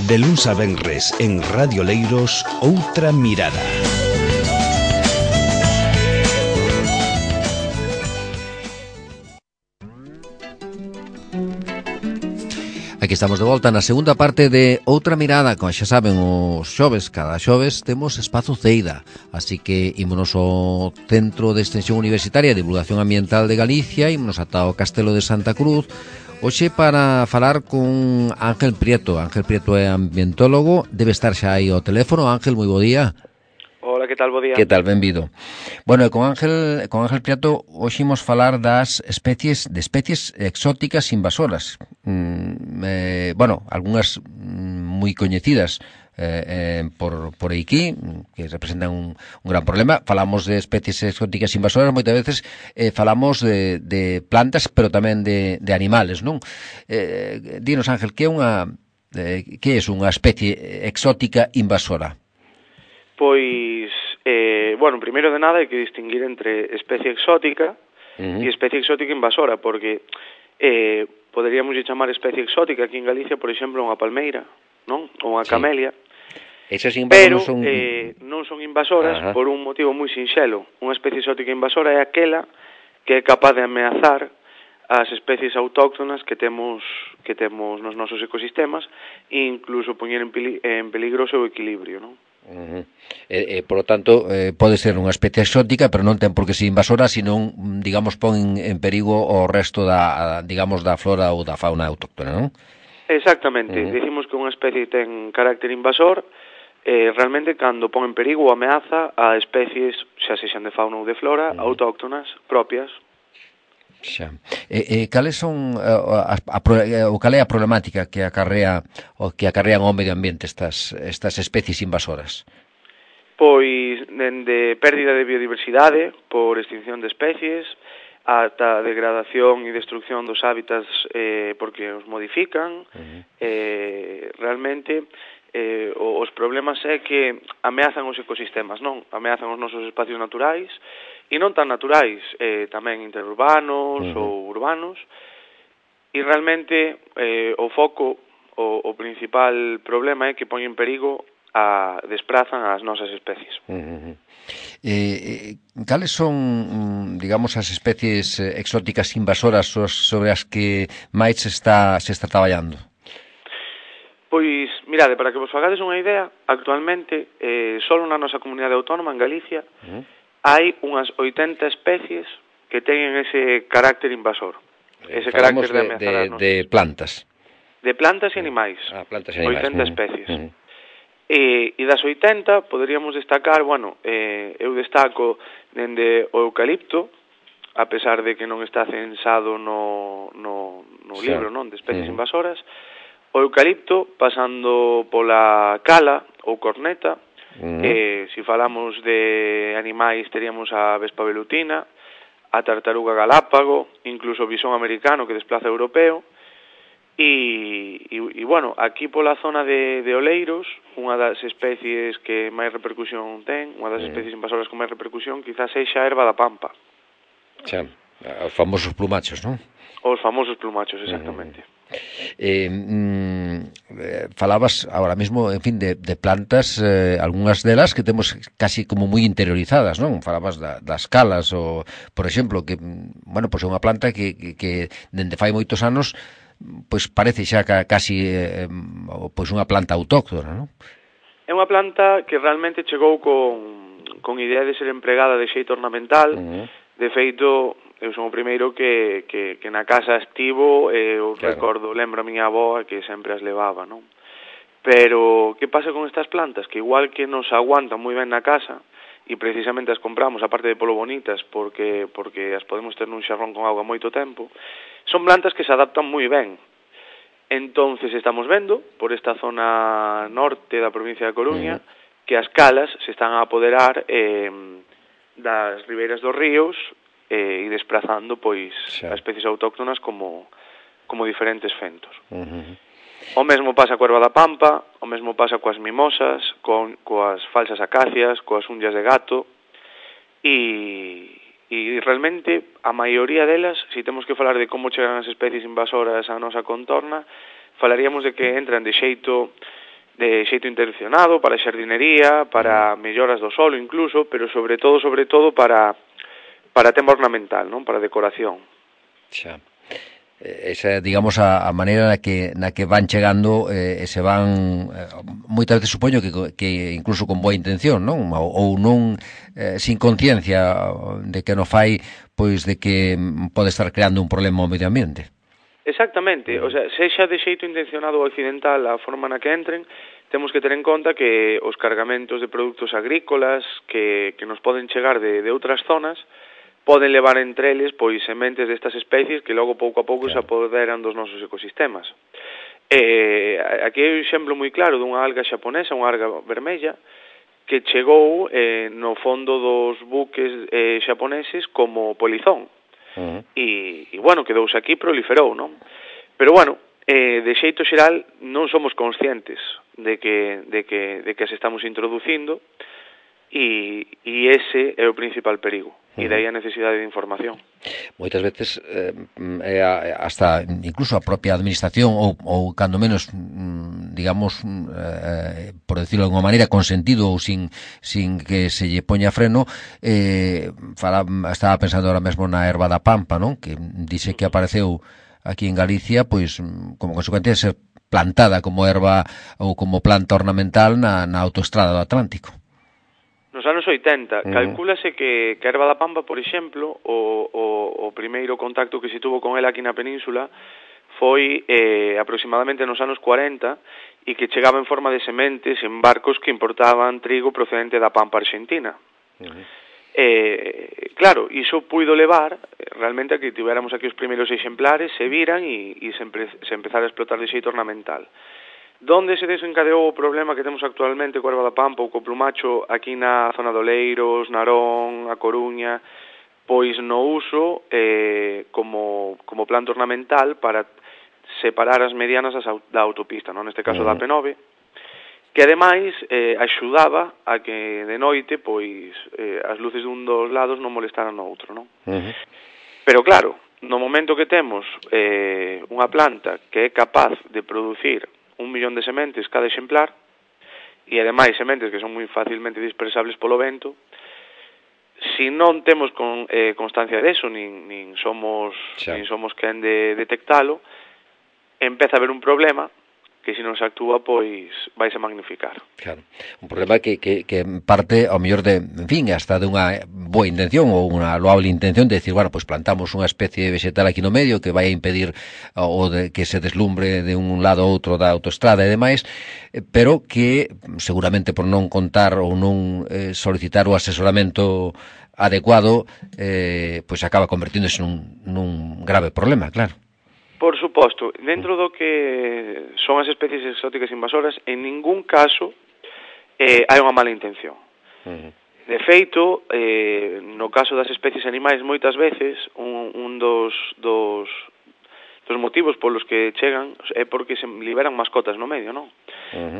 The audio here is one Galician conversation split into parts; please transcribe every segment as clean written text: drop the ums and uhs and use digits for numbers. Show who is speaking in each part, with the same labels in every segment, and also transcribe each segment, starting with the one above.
Speaker 1: De luns a venres en Radio Leiros, Outra Mirada.
Speaker 2: Aquí estamos de volta na segunda parte de Outra Mirada. Como xa saben, os xoves, cada xoves temos espazo Ceida, así que ímonos ao Centro de Extensión Universitaria e Divulgación Ambiental de Galicia, ímonos ata o Castelo de Santa Cruz, hoxe para falar con Ángel Prieto. Ángel Prieto é ambientólogo, debe estar xa aí ao teléfono. Ángel, moi bo día.
Speaker 3: Hola, que tal, bo día?
Speaker 2: Que tal, benvido. Bueno, con Ángel Prieto hoxe imos falar das especies exóticas invasoras. Bueno, algunhas moi coñecidas por aquí, que representan un gran problema. Falamos de especies exóticas invasoras, moitas veces falamos de plantas, pero tamén de animales, non? Dinos, Ángel, que é unha especie exótica invasora?
Speaker 3: Pois, bueno, primeiro de nada hai que distinguir entre especie exótica e especie exótica invasora, porque poderíamos chamar especie exótica aquí en Galicia, por exemplo, unha palmeira, non? Ou unha camelia.
Speaker 2: Esas
Speaker 3: pero non son invasoras. Ajá. Por un motivo moi sinxelo. Unha especie exótica invasora é aquela que é capaz de ameazar as especies autóctonas que temos nos nosos ecosistemas e incluso poñer en peligro o seu equilibrio, non?
Speaker 2: Por lo tanto, pode ser unha especie exótica, pero non ten por que ser invasora, senón, digamos, pon en perigo o resto da flora ou da fauna autóctona, non?
Speaker 3: Exactamente. Dicimos que unha especie ten carácter invasor realmente cando pon en perigo ou ameaza a especies, xa sexan de fauna ou de flora, autóctonas propias.
Speaker 2: Xa. Cales son cal é a problemática que acarrean ao medio ambiente estas especies invasoras?
Speaker 3: Pois dende pérdida de biodiversidade por extinción de especies ata degradación e destrucción dos hábitats porque os modifican. Realmente os problemas é que ameazan os ecosistemas, non? Ameazan os nosos espacios naturais e non tan naturais, tamén interurbanos ou urbanos, e realmente o foco, o principal problema é que pon en perigo desprazan as nosas especies.
Speaker 2: Cales son, digamos, as especies exóticas invasoras sobre as que máis se está traballando?
Speaker 3: Pois, mirade, para que vos fagades unha idea, actualmente, só na nosa comunidade autónoma, en Galicia, hai unhas 80 especies que teñen ese carácter invasor. Ese carácter de ameazar as nosas.
Speaker 2: De plantas.
Speaker 3: De plantas e animais.
Speaker 2: Plantas e animais.
Speaker 3: 80 especies. E das 80 poderíamos destacar, eu destaco dende o eucalipto, a pesar de que non está censado no libro, non, de especies invasoras, o eucalipto, pasando pola cala ou corneta, se falamos de animais teríamos a vespa velutina, a tartaruga galápago, incluso o bisón americano que desplaza europeo, e bueno, aquí pola zona de Oleiros, unha das especies que máis repercusión ten, unha das especies invasoras con máis repercusión, quizás sexa a erva da pampa.
Speaker 2: Xa, os famosos plumachos, non?
Speaker 3: Os famosos plumachos, exactamente.
Speaker 2: Falabas ahora mismo, en fin, de plantas, algunhas delas que temos casi como moi interiorizadas, non? Falabas das calas, ou, por exemplo, que, bueno, pois é unha planta que dende fai moitos anos pois parece xa casi pois unha planta autóctona, non?
Speaker 3: É unha planta que realmente chegou con idea de ser empregada de xeito ornamental. De feito, eu son o primeiro que na casa estivo, eu recordo, lembro a miña avó que sempre as levaba, non? Pero, que pasa con estas plantas? Que igual que nos aguantan moi ben na casa, e precisamente as compramos, aparte de polo bonitas, porque as podemos ter nun xarrón con auga moito tempo, son plantas que se adaptan moi ben. Entonces estamos vendo, por esta zona norte da provincia de Coruña, que as calas se están a apoderar das ribeiras dos ríos e desplazando pois as especies autóctonas como diferentes fentos. O mesmo pasa coa erva da pampa, o mesmo pasa coas mimosas, coas falsas acacias, coas unllas de gato, e realmente a maioría delas, se temos que falar de como chegan as especies invasoras á nosa contorna, falaríamos de que entran de xeito intencionado para xardinería, para melloras do solo incluso, pero sobre todo para tema ornamental, non? Para decoración.
Speaker 2: Xa. Esa, digamos, a maneira na que van chegando se van moitas veces supoño que incluso con boa intención, non? Ou non sin conciencia de que non fai, pois de que pode estar creando un problema ao medio ambiente.
Speaker 3: Exactamente, o sea, sexa de xeito intencionado ou accidental a forma na que entren, temos que ter en conta que os cargamentos de produtos agrícolas que nos poden chegar de outras zonas poden levar entre eles pois sementes destas especies que logo pouco a pouco se apoderan dos nosos ecosistemas. Aquí hai un exemplo moi claro dunha alga xaponesa, unha alga vermella, que chegou no fondo dos buques xaponeses como polizón. E bueno, quedouse aquí, proliferou, non? Pero bueno, de xeito xeral non somos conscientes de que se estamos introducindo e ese é o principal perigo. E daí a necesidade de información.
Speaker 2: Moitas veces hasta incluso a propia administración ou cando menos digamos por decirlo de alguma maneira con sentido ou sin que se lle poña freno estaba pensando ahora mesmo na erva da pampa, non? Que dice que apareceu aquí en Galicia pois como consecuencia de ser plantada como erva ou como planta ornamental na autoestrada do Atlántico.
Speaker 3: Nos anos 80, calcúlase que a erva da pampa, por exemplo, o primeiro contacto que se tuvo con ela aquí na península foi aproximadamente nos anos 40 e que chegaba en forma de sementes en barcos que importaban trigo procedente da pampa argentina. Claro, iso puido levar realmente a que tivéramos aquí os primeiros exemplares, se viran e se empezara a explotar de xeito ornamental. Donde se desencadeou o problema que temos actualmente coa erva da pampa ou co plumacho aquí na zona do Oleiros, Narón, A Coruña, pois no uso como planta ornamental para separar as medianas da autopista, non? Neste caso da P9, que ademais axudaba a que de noite pois as luces dun dos lados non molestaran no outro, non? Pero claro, no momento que temos unha planta que é capaz de producir 1 millón de sementes cada exemplar e ademais sementes que son moi facilmente dispersables polo vento, si non temos constancia deso nin somos quen de detectalo, empeza a haber un problema que se non se actúa, pois vaise magnificar.
Speaker 2: Claro, un problema que parte ao mellor de, en fin, hasta de unha boa intención ou unha loable intención de decir, bueno, pois plantamos unha especie vegetal aquí no medio que vai a impedir o de que se deslumbre de un lado ou outro da autoestrada e demais, pero que seguramente por non contar ou non solicitar o asesoramento adecuado, pois acaba convertíndose nun grave problema, claro.
Speaker 3: Por suposto, dentro do que son as especies exóticas invasoras, en ningún caso hai unha mala intención. De feito, no caso das especies animais, moitas veces, un dos motivos polos que chegan é porque se liberan mascotas no medio, non?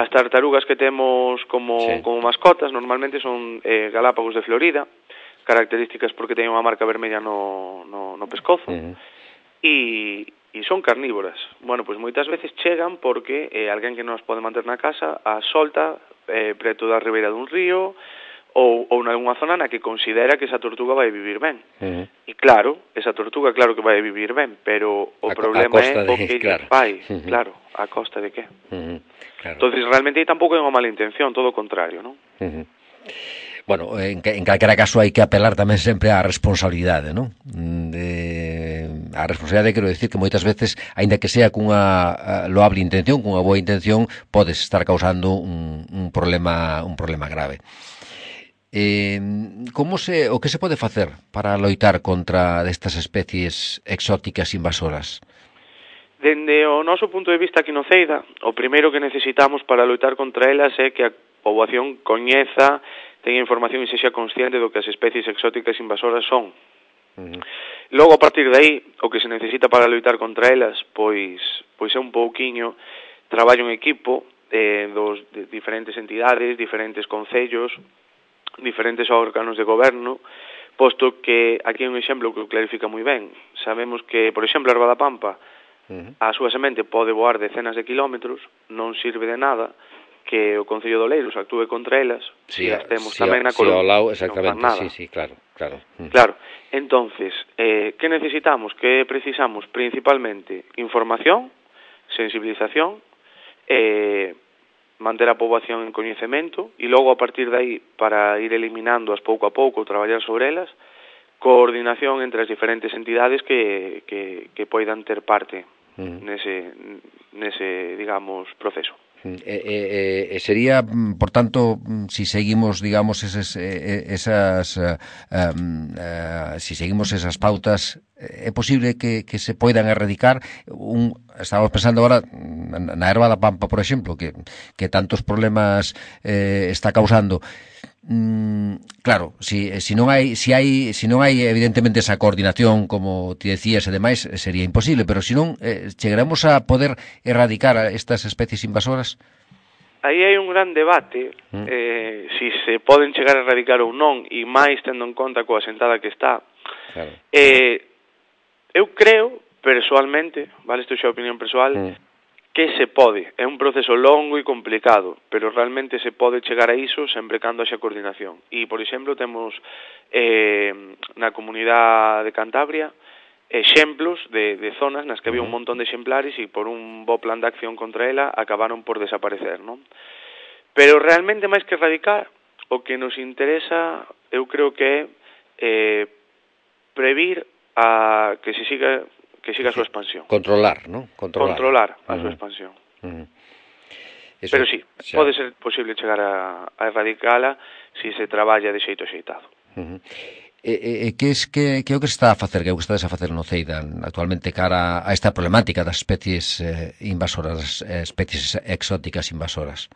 Speaker 3: As tartarugas que temos como mascotas normalmente son galápagos de Florida, características porque teñen unha marca vermella no pescozo, e son carnívoras. Bueno, pois moitas veces chegan porque alguén que non as pode manter na casa as solta preto da ribeira dun río ou nalgúna zona na que considera que esa tortuga vai vivir ben. E claro, esa tortuga claro que vai vivir ben, pero o problema é o que fai, claro, a costa de que. Entonces realmente aí tampouco é unha mala intención, todo o contrario, non?
Speaker 2: Bueno, en calquera caso hai que apelar tamén sempre á responsabilidade, non? A responsabilidade, quero dicir que moitas veces, aínda que sea cunha loable intención, cunha boa intención, podes estar causando un problema grave. O que se pode facer para loitar contra destas especies exóticas invasoras?
Speaker 3: Dende o noso punto de vista aquí no Ceida, o primeiro que necesitamos para loitar contra elas é que a poboación coñeza, teña información e sexa consciente do que as especies exóticas invasoras son. Logo, a partir de aí, o que se necesita para loitar contra elas, pois é un pouquiño traballo en equipo de diferentes entidades, diferentes concellos, diferentes órganos de goberno, posto que aquí hai un exemplo que o clarifica moi ben. Sabemos que, por exemplo, a erva da pampa a súa semente pode voar decenas de kilómetros, non sirve de nada que o Concello de Oleiros actúe contra elas, se as temos tamén na Coruña,
Speaker 2: exactamente,
Speaker 3: non fan nada.
Speaker 2: Sí, claro.
Speaker 3: Claro, entonces, que necesitamos? Que precisamos? Principalmente información, sensibilización, manter a poboación en coñecemento e logo a partir de aí, para ir eliminándoas pouco a pouco, traballar sobre elas, coordinación entre as diferentes entidades que poidan ter parte nese, digamos, proceso.
Speaker 2: Sería, por tanto, si seguimos, digamos, si seguimos esas pautas, é posible que se poidan erradicar. Estamos pensando agora na erva da pampa, por exemplo, que tantos problemas está causando. Claro, si non hai evidentemente esa coordinación, como ti decías e demais, sería imposible, pero si non, chegaremos a poder erradicar estas especies invasoras?
Speaker 3: Aí hai un gran debate si se poden chegar a erradicar ou non, e máis tendo en conta coa sentada que está. Claro. Eu creo, persoalmente, vale, isto xa é opinión persoal, que se pode. É un proceso longo e complicado, pero realmente se pode chegar a iso sempre cando haxa coordinación. E, por exemplo, temos na comunidade de Cantabria exemplos de zonas nas que había un montón de exemplares e por un bo plan de acción contra ela acabaron por desaparecer, non? Pero realmente, máis que erradicar, o que nos interesa, eu creo que é previr a que se siga a súa expansión.
Speaker 2: Controlar, ¿no?
Speaker 3: Controlar a súa expansión. Pero sí, pode ser posible chegar a erradicala se se traballa de xeito axeitado.
Speaker 2: Que é o que se está a facer, que é o que estades a facer no CEIDA actualmente cara a esta problemática das especies invasoras, especies exóticas invasoras?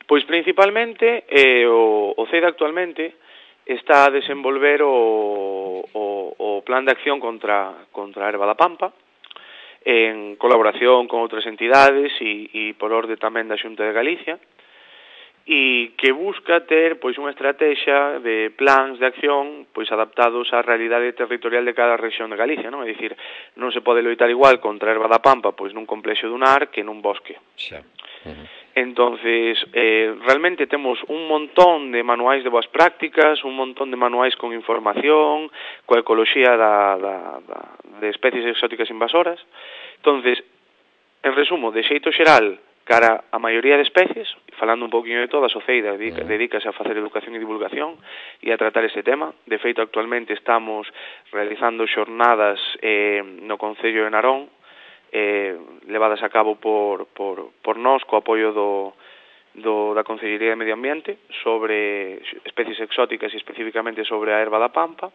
Speaker 3: Pois principalmente o CEIDA actualmente está a desenvolver o plan de acción contra a erva da pampa en colaboración con outras entidades e por orde tamén da Xunta de Galicia, e que busca ter pois unha estrategia de plans de acción pois adaptados á realidade territorial de cada rexión de Galicia, non? É dicir, non se pode loitar igual contra a erva da pampa pois nun complexo dunar que nun bosque.
Speaker 2: Xa.
Speaker 3: Entonces, realmente temos un montón de manuais de boas prácticas, un montón de manuais con información, coa ecoloxía de especies exóticas invasoras. Entonces, en resumo, de xeito xeral, cara a maioría de especies, falando un poquinho de todas, o CEIDA dedícase a facer educación e divulgación e a tratar este tema. De feito, actualmente estamos realizando xornadas no Concello de Narón, levadas a cabo por nós, co apoio da Consellería de Medio Ambiente, sobre especies exóticas e especificamente sobre a erva da pampa.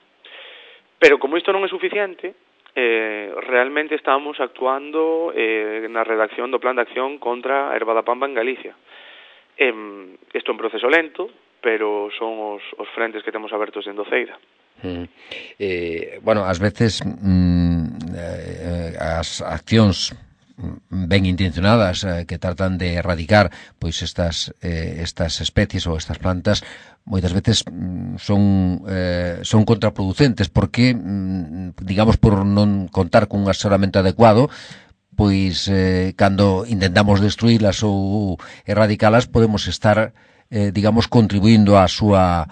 Speaker 3: Pero como isto non é suficiente, realmente estamos actuando na redacción do plan de acción contra a erva da pampa en Galicia. Isto é un proceso lento, pero son os frentes que temos abertos dentro do CEIDA.
Speaker 2: Bueno, ás veces as accións ben intencionadas que tratan de erradicar pois estas especies ou estas plantas moitas veces son contraproducentes porque, digamos, por non contar cun asesoramento adecuado, pois cando intentamos destruílas ou erradicalas podemos estar digamos, contribuindo á súa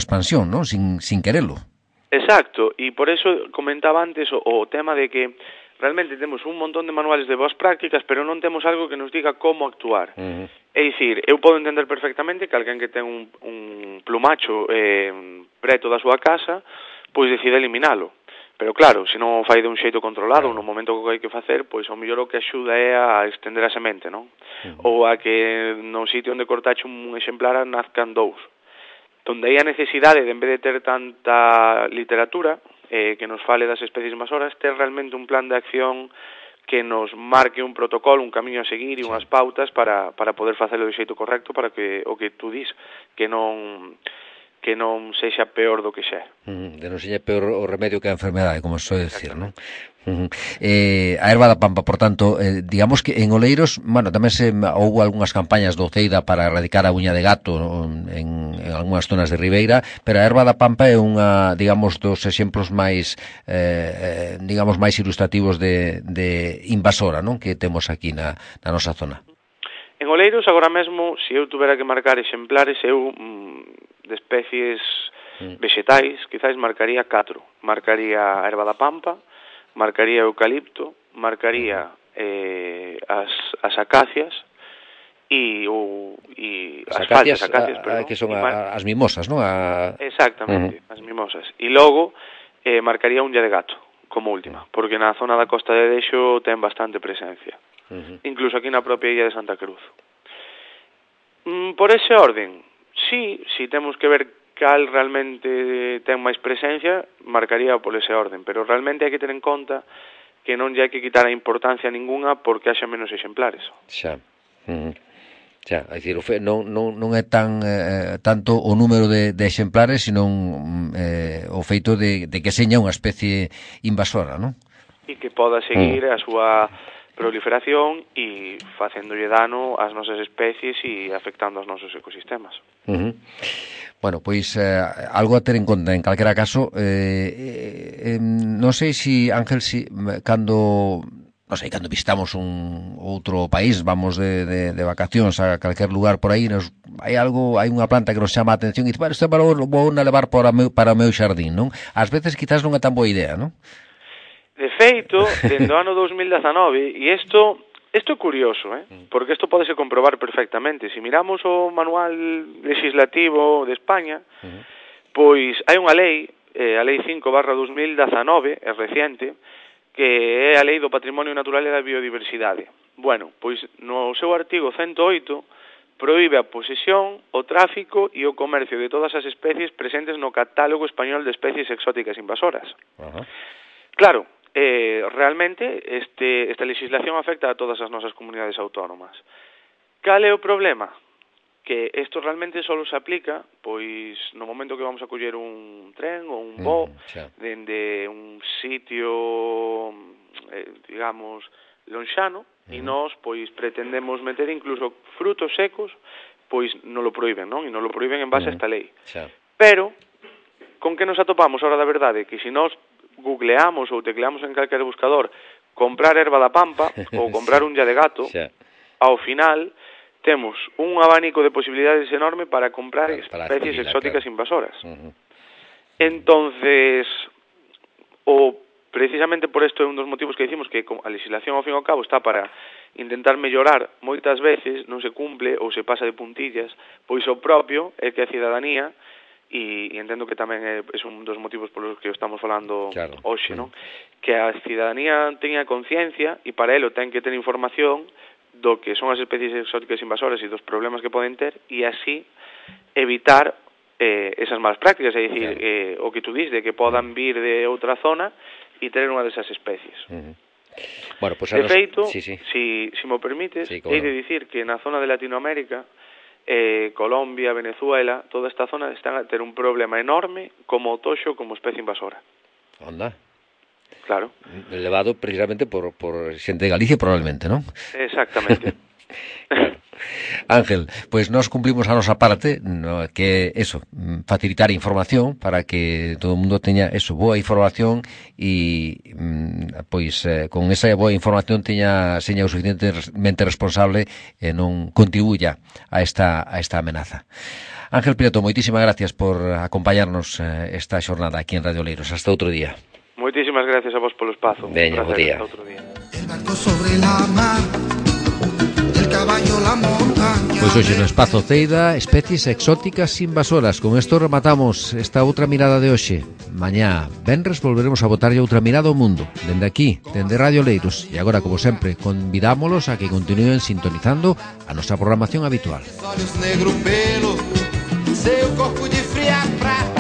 Speaker 2: expansión, non? Sin querelo.
Speaker 3: Exacto, e por eso comentaba antes o tema de que realmente temos un montón de manuales de boas prácticas, pero non temos algo que nos diga como actuar. É dicir, eu podo entender perfectamente que alguén que ten un plumacho preto da súa casa, pois decide eliminalo. Pero claro, se non o fai de un xeito controlado, no momento que hai que facer, pois ao mellor o que axuda é a estender a semente, non? Ou a que no sitio onde cortache un exemplar nazcan dous. Donde hai a necesidade de, en vez de ter tanta literatura que nos fale das especies invasoras, ter realmente un plan de acción que nos marque un protocolo, un camiño a seguir e unhas pautas para poder facelo de xeito correcto, para que o que tú dis, que non que non sexa peor do que xa.
Speaker 2: De non sexa peor o remedio que a enfermedade, como se soe decir, non? A erva da pampa, por tanto, digamos que en Oleiros, bueno, tamén houve algunhas campañas do Ceida para erradicar a uña de gato en algunhas zonas de Ribeira, pero a erva da pampa é unha, digamos, dos exemplos máis digamos, máis ilustrativos de invasora, non? Que temos aquí na nosa zona.
Speaker 3: En Oleiros, agora mesmo, se eu tuvera que marcar exemplares, eu de especies vegetais, quizás marcaría 4. Marcaría a erva da pampa, marcaría o eucalipto, marcaría as acacias e as falsas acacias,
Speaker 2: que son as mimosas, non?
Speaker 3: Exactamente, as mimosas. E logo marcaría a uña de gato como última, porque na zona da Costa de Dexo ten bastante presencia. Incluso aquí na propia illa de Santa Cruz. Por ese orden, si temos que ver cal realmente ten máis presencia, marcaría por ese orden, pero realmente hai que ter en conta que non lle hai que quitar a importancia ninguna porque haxa menos exemplares.
Speaker 2: Xa, xa, é dicir, non é tanto o número de exemplares, sino o feito de que seña unha especie invasora, non?
Speaker 3: E que poda seguir a súa proliferación e facéndolle dano ás nosas especies e afectando aos nosos ecosistemas.
Speaker 2: Bueno, pois algo a ter en conta en calquera caso. Non sei se Ángel, cando visitamos un outro país, vamos de vacacións a calquer lugar por aí, hai unha planta que nos chama a atención e dice, bueno, isto vou a levar para o meu xardín, non? Ás veces quizás non é tan boa idea, non?
Speaker 3: De feito, dende o ano 2019, e isto é curioso, porque isto podese comprobar perfectamente. Se miramos o manual legislativo de España, pois hai unha lei, a Lei 5/2019, é reciente, que é a Lei do Patrimonio Natural e da Biodiversidade. Bueno, pois no seu artigo 108 proíbe a posesión, o tráfico e o comercio de todas as especies presentes no catálogo español de especies exóticas invasoras. Claro, realmente esta legislación afecta a todas as nosas comunidades autónomas. Cal é o problema? Que isto realmente só se aplica pois no momento que vamos a coller un tren ou un voo dende un sitio digamos lonxano e nós pois pretendemos meter incluso frutos secos, pois non lo proíben, non? E non lo proíben en base a esta lei. Pero con que nos atopamos a hora da verdade? Que se nós googleamos ou tecleamos en calquer buscador comprar erva da pampa ou comprar uña de gato, ao final temos un abanico de posibilidades enorme para comprar especies exóticas invasoras. Entonces, precisamente por isto é un dos motivos que dicimos que a legislación ao fin e ao cabo está para intentar mellorar, moitas veces non se cumple ou se pasa de puntillas, pois o propio é que a cidadanía, e entendo que tamén é un dos motivos polos que estamos falando hoxe, non? Que a cidadanía teña conciencia e para elo ten que ter información do que son as especies exóticas invasoras e dos problemas que poden ter e así evitar esas malas prácticas, é dicir, o que tú dis de que podan vir de outra zona e ter unha desas especies.
Speaker 2: Bueno, pues
Speaker 3: de feito, si me permites, hei de dicir que na zona de Latinoamérica Colombia, Venezuela, toda esta zona están a ter un problema enorme como o toxo como especie invasora.
Speaker 2: Onda.
Speaker 3: Claro.
Speaker 2: Elevado precisamente por xente de Galicia probablemente, non?
Speaker 3: Exactamente.
Speaker 2: Claro. Ángel, pois nós cumplimos a nosa parte, que eso, facilitar información para que todo o mundo teña eso, boa información e pois con esa boa información seña o suficientemente responsable e non contribuya a esta amenaza. Ángel Prieto, moitísimas gracias por acompañarnos esta xornada aquí en Radio Oleiros. Hasta outro día.
Speaker 3: Moitísimas gracias a vos polo espazo.
Speaker 2: Veña, bo día.
Speaker 3: Hasta outro día.
Speaker 4: El barco sobre la mar.
Speaker 2: Pois hoxe no Espazo Ceida, especies exóticas invasoras. Con isto rematamos esta outra mirada de hoxe. Mañá, venres, volveremos a botarlle outra mirada ao mundo. Dende aquí, dende Radio Oleiros. E agora, como sempre, convidámolos a que continúen sintonizando a nosa programación habitual.
Speaker 4: Olhos negro pelo, seu corpo de fria prata.